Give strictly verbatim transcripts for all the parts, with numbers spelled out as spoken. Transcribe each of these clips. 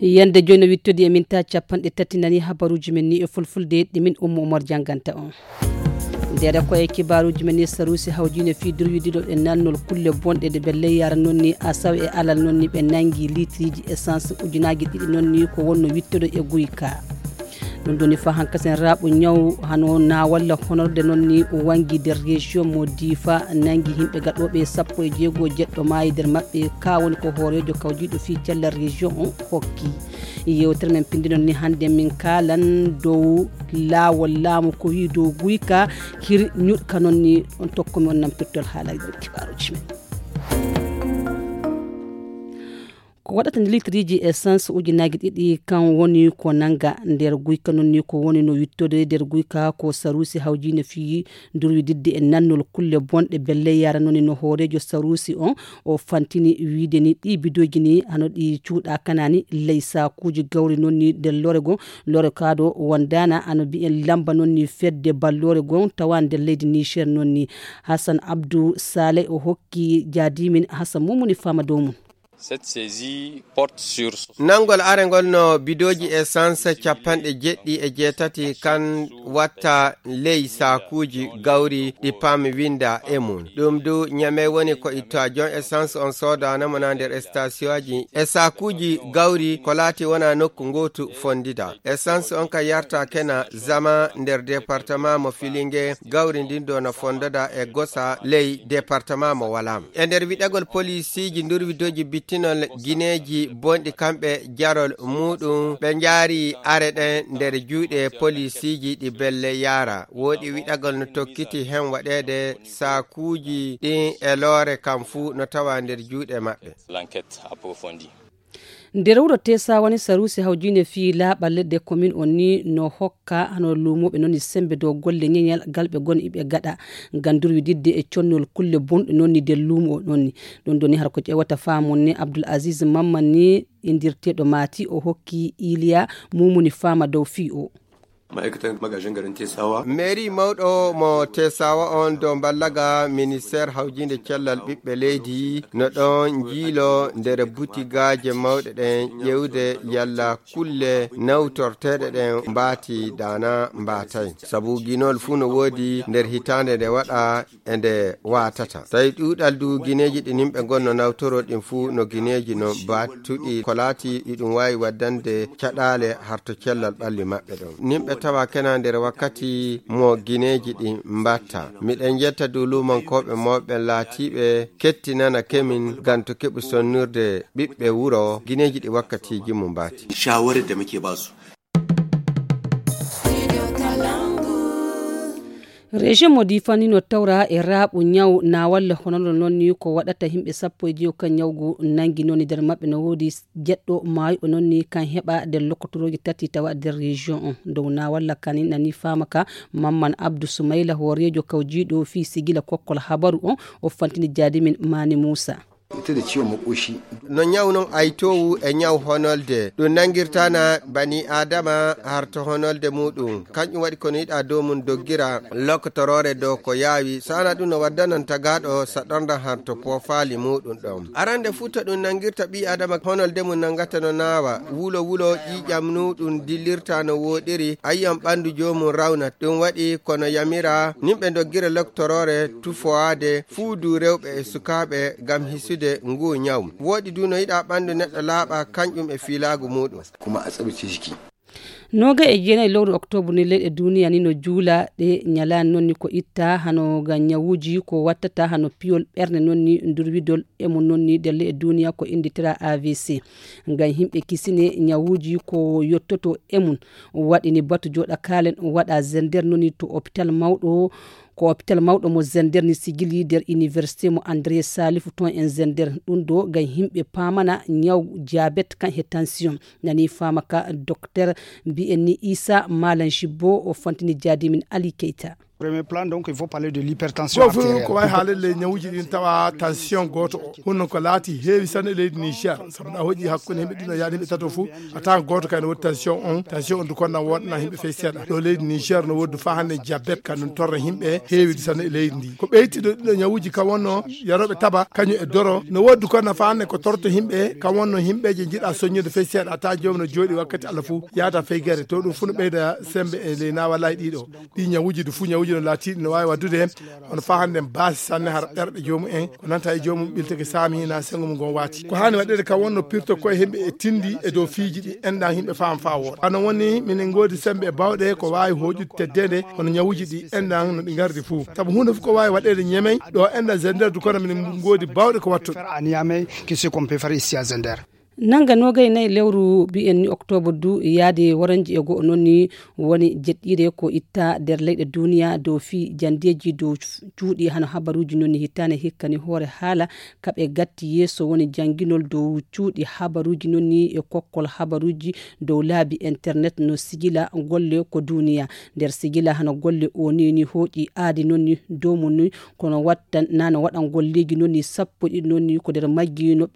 Yande joyi no wittodi e minta capanɗe tati nani habaruji men ni e fulfulde ɗi min Ummu Umar janganta on. Ndere ko e kibaruji men ni sarusi hawjine fi durwidiɗo e nannol kulle bonɗe ɗe ɓe leyyara non ni asaw e alal non ni ɓe nangi litriji essence ujunaji ɗiɗi non ni ko wonno wittodo e guyka. Ɗum ɗoni fa hankasen raɓu ñaw hano na walla honorde non ni wangi nder région mo difa nangi himɓe gaɗoɓe sappo e jeego jeɗɗo maayi nder maɓɓe ka woni ko hoorejo kawjiɗo fi cellal région on hokki. Yewtere men pindinon ni hannde min kaalan dow laawol laamu ko wi dow guyka hir ñuɗka non ni on tokkumi on nam pirtol haala kibaruji men. Ko waɗata litriji essence ujunaaji ɗiɗi kan woni ko nanga nder guyka non ni ko woni no wittode nder guyka ko sarusi hawjine fi durwididde e nannol kulle bonɗe belle yara non ni no hoorejo sarusi on o fantini wiide ni ɗi bidoji ni hano ɗi cuuɗa kanani ley sakuji gawri non ni nder lore gon lore kaado wondana hano mbiyen lamba non ni fedde ballore gon tawa nder leydi niger non ni. Hassan abdou saleh o hokki jaadimin hassan mumuni fama dow mum. Cette saisie porte sur nangol are ngol no bidooji essence capanɗe jeɗɗi e jeetati kan watta ley saakuuji gawri ɗi paami winda e mum. Ɗum du ñame woni ko ittoa jon essence on soodana mo na nder stationji e saakuuji gawri ko laati wona nokku ngootu fondida. Essence on ka yarta kena zama nder département mo filinge gawri ndin do no fondoda e gosa ley département mo wala. E nder wiɗagol polisiiji ndurwidoji bittinol gineeji bonɗi kamɓe jarol muɗum ɓe njaari are ɗen nder juuɗe polisiiji ɗi belle yaara. Woɗi wiɗagol no tokkiti hen waɗeede saakuuji ɗin e loore kam fuu no tawa nder juuɗe maɓɓe. L'enquête approfondie. Nder wuro tesa woni sarusi hawjinde fii laaɓal ledde komin on ni no hokka hano luumooɓe non ni sembe dow golle ñeñal galɓe gon iɓe gaɗa ngam durwididde e connol kulle bonɗe non ni nder luumo non ni. Ɗum ɗoni har ko ƴewata faamon ni abdul aziz mamman ni indirteeɗo maati o hokki iliya mumuni faama dow fii o. Ma'aikatan magajin garin tesawa mairie mawɗo mo tesawa on dow mballaga ministère hawjinde cellal ɓiɓɓe leydi no ɗon njiilo nder butigaaje mawɗe ɗen ƴewde yalla kulle nawtorteeɗe ɗen mbaati dana mbaatay sabu ginol fuu no woodi nder hitaande nde waɗa e nde waatata. Tawi ɗuuɗal du gineeji ɗi nimɓe gonno nawtoro ɗin fuu no gineeji no battuɗi ko laati iɗum waawi waddande caɗaale harto cellal ɓalli maɓɓe ɗon. Nimɓe tawa kena nder wakkati mo gineeji ɗi mbatta. Miɗen jetta du luumankooɓe mawɓe laatiiɓe kettinana kemin ngam to keɓu sonnirde ɓiɓɓe wuro gineeji ɗi wakkatiiji mum mbaati. Shawarar da muke ba su. Région mo difani no tawra e raaɓu ñaw na walla honono noon ni ko waɗata yimɓe sappo e jeego kan ñawgu nangi noon ni nder maɓɓe no woodi jeɗɗo maayuɗo noon ni kan heɓa nder lokkotorooji tati tawa nder région on dow na walla kani nani faama ka mamman abdou soumayla hooreejo kawjiiɗo fii sigila kokkol habaru on o fantini jaadimin maani moussa. Ita da ciwon makoshi. No ñaw non aytoowu e ñaw honolde ɗum nanngirtaana bani aadama harto honolde muɗum kanƴum waɗi kono yiɗa dow mum doggira lokkotoroore dow ko yaawi saana ɗum no waddanan tagaaɗo saɗornda harto poofaali muɗum ɗon arande fuu to ɗum nanngirta ɓii aadama honolde mum nanngata no naawa wulo wulo ƴiiƴam muɗum dillirta no wooɗiri ayyam ɓanndu joomum rawnat ɗum waɗi kono yamira nimɓe doggira lokkotoroore tufowaade fuu du rewɓe e sukaaɓe ngam hisude nguu ñaw. Wooɗi du no yiɗaa ɓanndu neɗɗo laaɓa kañƴum e fiilaagu muuɗum. Kuma a tsabtace jiki. Nooga e jeenayi lewru oktoobre ni leyɗe duuniya ni no juula ɗe ñalaani noon ni ko itta hano ngam ñawuuji ko wattata hano piyol ɓernde noon ni ndurwidol e mum noon ni nder leyɗe duuniya ko innditira avc. Ngam yimɓe kisine ñawuuji ko yottoto e mum waɗi ni batu jooɗa kaalen waɗa zender noon ni to hôpital mawɗo. Ko hôpital mawɗo mo zender ni sigili nder université mo andré salifu toon en zender ɗum ɗo ngam yimɓe paamana ñaw jabet kan he tension nani faama ka docteur mbiyen ni isa malan jibbo o fantini jaadimin ali keyta. Premier plan, donc, il faut parler de l'hypertension. Fof ko wawi haalede ley ñawuuji ɗin tawa tension gooto o hunno ko laati heewi sanne e leydi Niger. Sabu na hoƴi hakkunde himɓe ɗino yaade himɓe tato fof, a tawan gooto kay no woodi tension on. Tension on du kon na woodana himɓe fey seeɗa ɗo leydi Niger, no woodi fa hannde jabet ka ɗum torra himɓe heewidi sanne e leydi ndi. Ko ɓeytiɗo ɗiɗo ñawuuji ka wonno yarooɓe taba kañum e doro, no woodi kon na fa hannde ko torto himɓe ka wonno himɓeje jiɗa soññude fey seeɗa, a tawan joomi no jooɗi wakkati allah fof yaada fey gere. To ɗum fof no ɓeyda sembe e ley nawalayi ɗiɗo. Ɗi ñawuuji du fu ñawuuji no laatiɗi no waawi waddude heen. Kono fa hannde baasi sanne hara ɓerɓe joomum en ko nanta e joomum ɓilteke saami na sengo mum ngon waati. Ko haani waɗede ka wonno pirto koye himɓe e tindi e dow fiiji ɗi enɗan himɓe faam fa wooɗa. Hano woni minen ngoodi sembe e bawɗe ko waawi hooƴude teddede hono ñawuuji ɗi enɗan no ɗi ngardi fuu. Sabu huunde fof ko waawi waɗede ñemey ɗo enɗan zender du kono minen ngoodi bawɗe ko wattude. Faire à Niamey que ce qu'on peut faire ici à Zender. Nannga noogay nayi lewru mbiyen ni octobre du yaade waranji e go'o noon ni woni jeɗɗiire ko itta nder leyɗe duniya dow fii janndeeji dow cuuɗi hano habaruuji noon ni hittaane hikka ni hoore haala kaɓe gatti yeeso woni jannginol dow cuuɗi habaruuji noon ni e kokkol habaruuji dow laabi internet no sigila golle ko duniya nder sigila hano golle o ni ni hooƴi aadi noon ni dow mum ni kono watta nano waɗan golleeji noon ni sappo ɗiɗi noon ni ko nder majji no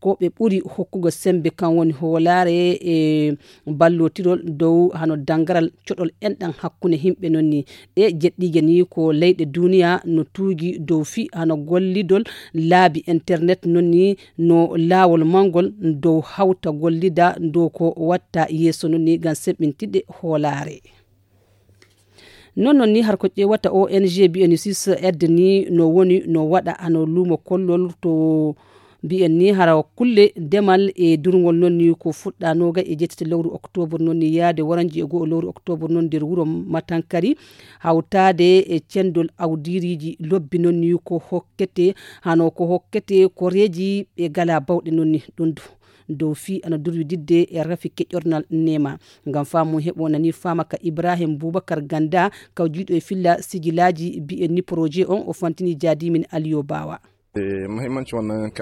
ko ɓe ɓuri hokkugo semmbe kan woni hoolaare e ballotirol dow hano danngaral coɗol enɗan hakkunde yimɓe noon ni ɗe jeɗɗiije ni ko leyɗe duniya no tuugi dow fii hano gollidol laabi internet noon ni no laawol mangol dow hawta gollida dow ko watta yeeso noon ni ngam semɓintinde hoolaare. Non non ni har ko ƴeewata o n g bnc aide ni no woni no waɗa hano luumo kollol to mbiyen ni hara kulle demal e durngol non ni ko fuɗɗa noga e jettete lewru octobre non ni yaade waranji e go'o lewru octobre non nder wuro matankari hawtaade e cendol awdiriji lobbi non ni ko hokkete hano ko hokkete koreji ɓe gala bawɗe non ni ɗum du dow fii ana durwididde e rafi keƴornal nema ngam faamu heɓo nani faama ka ibrahim boubacar ganda kawjiiɗo e filla sijilaaji mbiyen ni projet on o fantini jaadimin aliyo baawa.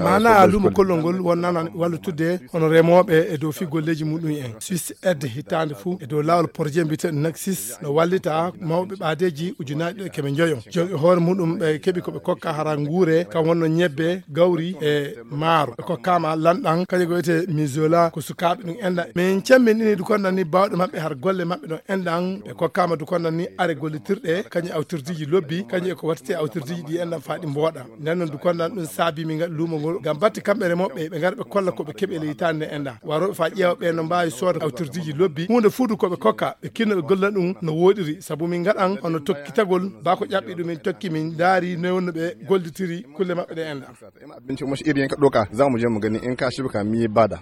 Mana lumo kollol ngol wonnana wallitude hono remooɓe e dow fii golleeji muɗum en sis aide hitaande fuu e dow laawol projet mbiyeteeɗo naxis no wallita mawɓe ɓaadeeji ujunaaji ɗiɗo e keme njoyo jogi hoore muɗum ɓe keɓi ko ɓe kokka hara nguure kam wonno ñebbe gawri e maaro ɓe kokkaama lanɗan kañum ko wiyetee misola ko sukaaɓe ɗum enɗa min camminɗini du konnan ni baawɗe maɓɓe har golle maɓɓe ɗon enɗan ɓe kokkaama du konnan ni are gollitirɗe kañum awtirdiiji lobbi kañum e ko wattete awtirdiiji ɗi enɗan faa ɗi mbooɗa nden noon du konnan ɗum saabi min ngaɗa luumo ngol ngam batte kamɓe remooɓe ɓe ngara ɓe kolla ko ɓe keɓi e leytaade nde enɗan warooɓe faa ƴeewa ɓe no mbaawi sooda awtirdiiji lobbi huunde fuu du ko ɓe kokka ɓe kinno ɓe golla ɗum no wooɗiri sabu min ngaɗan hono tokkitagol baa ko ƴaɓɓi ɗum min tokki min ndaari noy wonno ɓe gollitiri kulle maɓɓe ɗe enɗan. Abinci kuma shi iri yanka ɗoka za mu je mu gani in ka shi baka mi bada.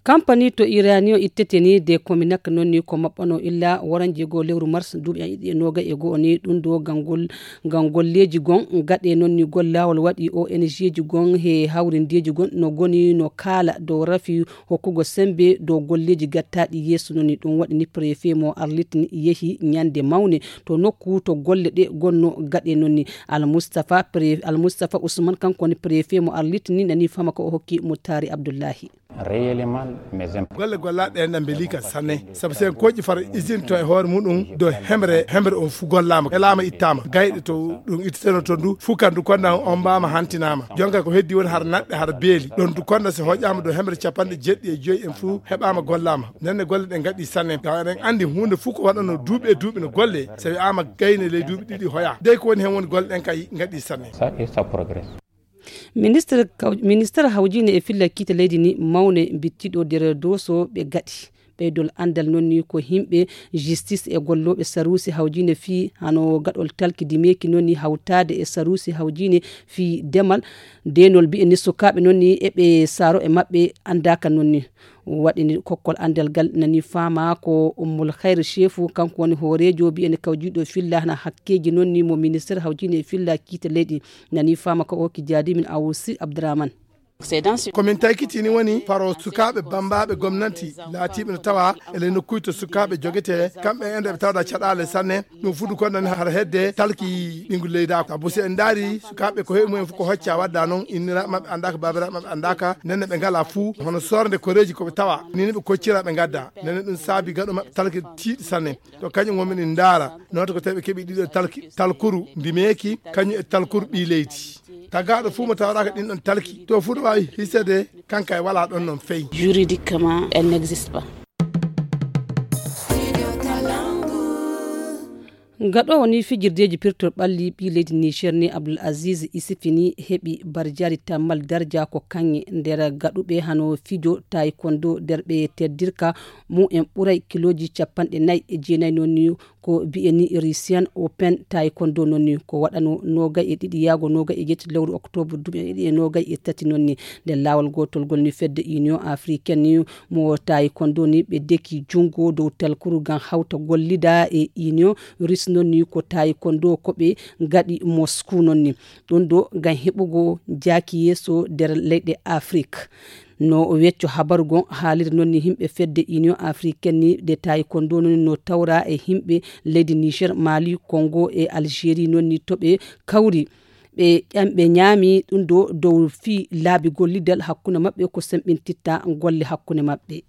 Kampani to iraniyo ittete ni de kominak noon ni ko maɓɓano illa waran jego lewru mars duuɓi an iɗi e noga e go'o ni ɗum do gangol ngam golleji gon gaɗe noon ni gollawol waɗi o n g ji gon he hawrindeji gon no goni no kaala dow rafi hokkugo sembe dow golleji gattaɗi yeeso noon ni ɗum waɗi ni préfet mo arlit ni yehi ñande mawne to nokku to golle ɗe gonno gaɗe noon ni almustafa pre almustafa ousmane kanko woni préfet mo arlit ni nani fama ko o hokki muttari abdoullahi. Réellement mes imp- golle gollaɗe en ɗan ɓe liika sanne sabu sen koƴƴi fara usine to e hoore muɗum do hemre hemre on fu gollama elama ittama gayɗe to ɗum ittiteno to ndu fu kandu konnan on mbama hantinama jonka ko heddi woni har naɗɗe har beeli ɗon du konna si hoƴama do hemre capanɗe jeɗɗi e joyi en fu heɓama gollama nenne golle ɗe gaɗi sanne tawa eɗen andi hunde fu ko waɗano duuɓi e duuɓi no golle so wi'ama gayne ley duuɓi ɗiɗi hoya dey ko woni hen woni golle ɗen kay gaɗi sanne. Ça et ça progresse. Ministre ministre hawjine e filla kiite leydi ni mawne bittiɗo nder doso ɓe gaɗi ɓeydol andal noon ni ko himɓe justice e gollooɓe saruusi hawjine fii hano gaɗol talki dimeeki noon ni hawtaade e saruusi hawjine fii demal deenol mbiyen ni sukaaɓe noon ni eɓe saaro e maɓɓe anndaaka noon ni waɗini kokkol anndal ngal nani faama ko ummul hayre chefu kanko woni hooreejo mbiyen kawjiiɗo filla hana hakkeeji noon ni mo ministére hawjine e filla kiite leyɗi nani faama ko okki jaadimin awusi abdourahmane. Ko min taykiti ni woni faro sukaaɓe bammbaaɓe gomnanti laatiiɓe no tawa e ley nokkuuji to sukaaɓe jogetee, kamɓe en ɓe tawda caɗaale sanne. Ɗum fuɗɗi kon nan har hedde talki ɓinngol leydi. Sabu si en ndaari sukaaɓe ko heɓi mumen fof ko hocca wadda noon, inniraaɓe maɓɓe anndaaka, baabiraaɓe maɓɓe anndaaka, nenne ɓe ngalaa fuu hono soorde koreeji ko ɓe tawa. Ni ni ɓe koccira ɓe ngadda. Nenne ɗum saabi gaɗo maɓɓe talki tiiɗi sanne. To kañum wonɓe ɗi ndaara, noota ko tawi ɓe keɓi ɗiɗo talki, talkuru ndimeeki, kañum e talkuru ɓii leydi. Tagaaɗo fuu mo tawraaka ɗin ɗon talki, to fuu no waawi hisede, kanka e walaa ɗon noon fey. Juridiquement, elle n'existe pas. Gaɗoowo ni fijirdeeji pirtol ɓalli ɓii leydi Niger ni Abdul Aziz Isifi ni heɓi barjaari tammal darja ko kaŋŋe nder gaɗuɓe hano fijo taekwondo nder ɓe teddirka mumen ɓuray kilooji capanɗe nayi e jeenayi noon ni ko biyeni Russian Open taekwondo noon ni ko waɗano noogay e ɗiɗi yaago noogay e jetti lewru octobre duuɓi ɗiɗi e noogay e tati noon ni. Nder laawol gootol ngol ni fedde Union Africaine ni mo taekwondo ni ɓe deki junngo dow talkuru ngam hawta gollida e Union Russe noon ni ko taekwondo ko ɓe ngaɗi Moscou noon ni. Ɗum ɗo ngam heɓugo jaaki yeeso nder leyɗe Afrik. No wecco habaru gon haaliri noon ni yimɓe fedde Union Africaine ni de taekwondo noon no tawra e yimɓe leydi Niger, Mali, Congo e Algérie noon ni to ɓe kawri. Ɓe ƴam-, ɓe ñaami ɗum ɗo dow fii laabi gollidal hakkunde maɓɓe ko semɓintitta golle hakkunde maɓɓe.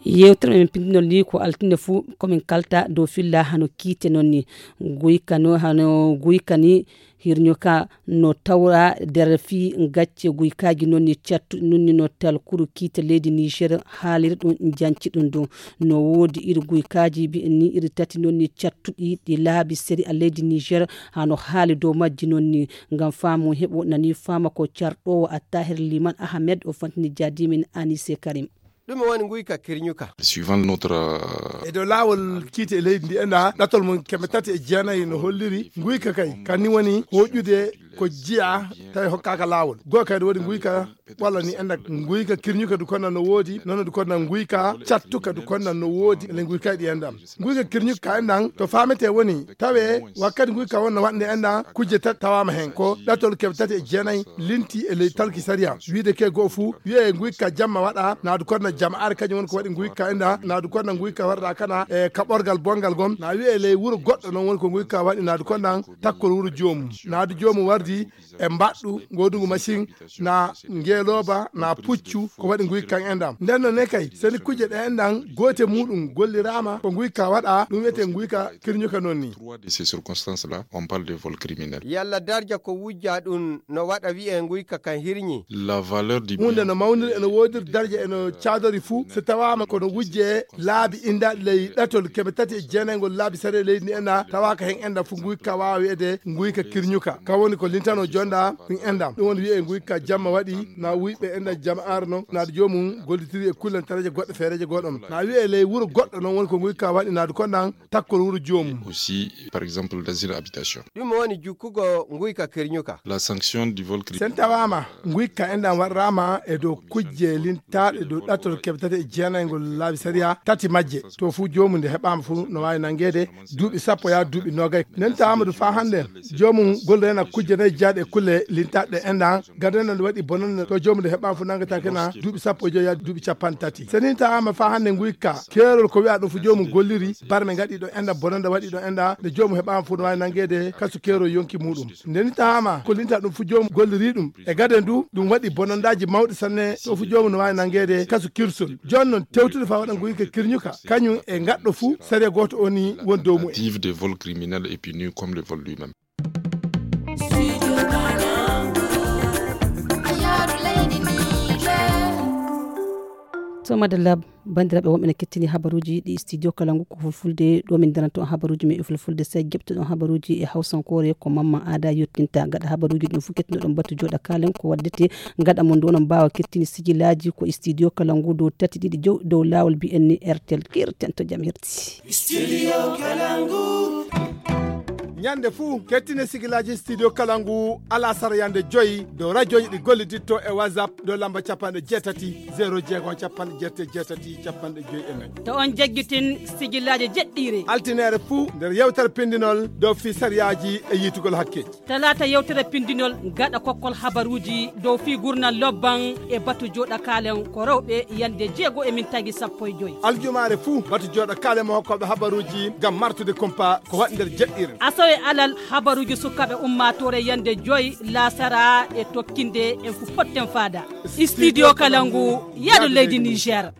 Yewtere men pindinol ni ko altine fuu komin kalta dow filla hano kiite noon ni. Guyka no hano guyka ni hirño ka no tawra nder fii gacce guykaaji noon ni cattuɗi noon ni no talkuru kiite leydi Niger haaliri ɗum janci ɗum ɗum. No woodi iri guykaaji mbi'en ni iri tati noon ni cattuɗi ɗi laabi seri a leydi Niger hano haali dow majji noon ni. Ngam faamu heɓo nani faama ko carɗoowo Attahir Liman Ahmed o fantini jaadimin Anise Karim. Ɗum woni nguyka kirñuka. Suivant notre, euh, E dow laawol kiite e leydi ndi enda ɗatol mum keme tati e jeenayi no holliri nguyka kay kanni woni hoƴude ko jiya tawi hokkaaka laawol. Goo kadi waɗi nguyka walla ni enda nguyka kirñuka du konna no woodi, nono du konna nguyka cattuka du konna no woodi, ele nguyka ɗi endam. Nguyka kirñuka ka endan to faamete woni tawe wakkati nguyka won no waɗnde endan kujje tati tawaama hen. Ko ɗatol keme tati e jeenayi linti e ley talki sariya. Wiide ke goo fuu, wi'e nguyka jamma waɗa, naadu konna jama'aare kañum woni ko waɗi nguyka endan, naadu konna nguyka warɗa kana e kaɓorgal bongal gon. Na wi'e ley wuro goɗɗo noon woni ko nguyka waɗi naadu konnan takkol wuro joomum. Naadu joomum wardi e mbaɗɗu, ngoodungu machine, na ngeelooba, na puccu, ko waɗi nguyka kan endan. Nden noon ne kay, seni kujje ɗe endan, goote muuɗum golliraama, ko nguyka waɗa, ɗum wiyetee nguyka kirñuka noon ni. Trois de ces circonstances-là, on parle de vol criminel. Yalla darja ko wujja ɗum no waɗa wi'e nguyka kan hirñi? La valeur du Huunde bien no mawniri, eno woodiri darja, eno caadori fuu, so tawaama kono wujje laabi indaaɗi ley ɗatol keme tati e jeenaygol laabi sariya leydi ndi endan, tawaaka hen endan fuu nguyka waawa wi'ede nguyka kirñuka. Ka woni ko lintano jonda ɗum endan. Ɗum woni wi'e nguyka jamma waɗi, na wuyɓe endan jama'aare noon, naadu joomum gollitiri e kullantaraje goɗɗe feereeje goɗɗo. Na wi'e ley wuro goɗɗo noon woni ko nguyka waɗi naadu kondan takkol wuro joomum. Aussi, par exemple, dans une habitation. Ɗum woni jukkugo nguyka kirñuka. La sanction du vol criminel. Sen tawaama nguyka endan waɗraama e dow kujje lintaaɗe dow ɗatol keme tati e jeenaygol laabi sariya tati majje. To fuu joomum nde heɓaama fuu no waawi nanngeede duuɓi sappo yaa duuɓi noogay. Nden tawaama du faa hannde joomum gollirana kujje nayi jaaɗe e kulle lintaaɗe endan. Gadana nde waɗi bonande to joomum nde heɓaama fuu nanngataake na duuɓi sappo e joyi yaa duuɓi capanɗe tati. Seni tawaama faa hannde nguyka keerol ko wi'a ɗum fuu joomum golliri barme ngaɗi ɗo endan bonande waɗi ɗo endan nde joomum heɓaama fuu no waawi nanngeede kasu keerol yonki muuɗum. Nde ni tawaama ko linta ɗum fuu joomum golliri ɗum. E gade ndu, ɗum waɗi bonandaaji mawɗi sanne, to fuu joomum no waawi nanngeede kasu kirsol. Jooni noon, tewtude faa waɗa nguyka kirñuka, kañum e ngaɗɗo fuu, sariya gooto o ni woni dow mumen. Tentative de vol criminel est puni comme le vol lui-même. To madalla, banndiraaɓe wonɓe ne kettini habaruuji ɗi studio kala ngu ko fulfulde ɗo min daranto on habaruuji men e fulfulde. Sey jeɓtoɗon habaruuji e hawsankoore ko Mamman Aada yottinta. Gaɗa habaruuji ɗum fof kettinoɗon batu jooɗa kaalen ko waddete. Gaɗa mon ɗo onon mbaawa kettini sijilaaji ko e studio kala ngu dow tati ɗiɗi jow dow laawol mbiyen ni R T L. Kirten to jam hirti. Studio Kalangu. Ñande fuu, kettine sigilaaji Studio Kalangu alasara yande joyi dow rajoji ɗi golliditto e WhatsApp dow lamba capanɗe jeetati, zero jeego, capanɗe jeetati, jeetati, capanɗe joyi e nayi. To on jaggitin sigilaaji jeɗɗiire. Altineere fuu nder yewtere pindinol dow fii sariyaaji e yiitugol hakkeeji. Talaata yewtere pindinol gaɗa kokkol habaruuji dow fii gurnal lobban e batu jooɗa kaalen ko rewɓe yande jeego e min tagi sappo e joyi. Aljumaare fuu batu jooɗa kaalen mo hokkooɓe habaruuji ngam martude kumpa ko waɗi nder jeɗɗiire. Asawe alal habaruuji sukaaɓe ummaatoore yande joyi laasara e tokkinde en fu potten faada. Studio Kalangu, yaadu leydi Niger.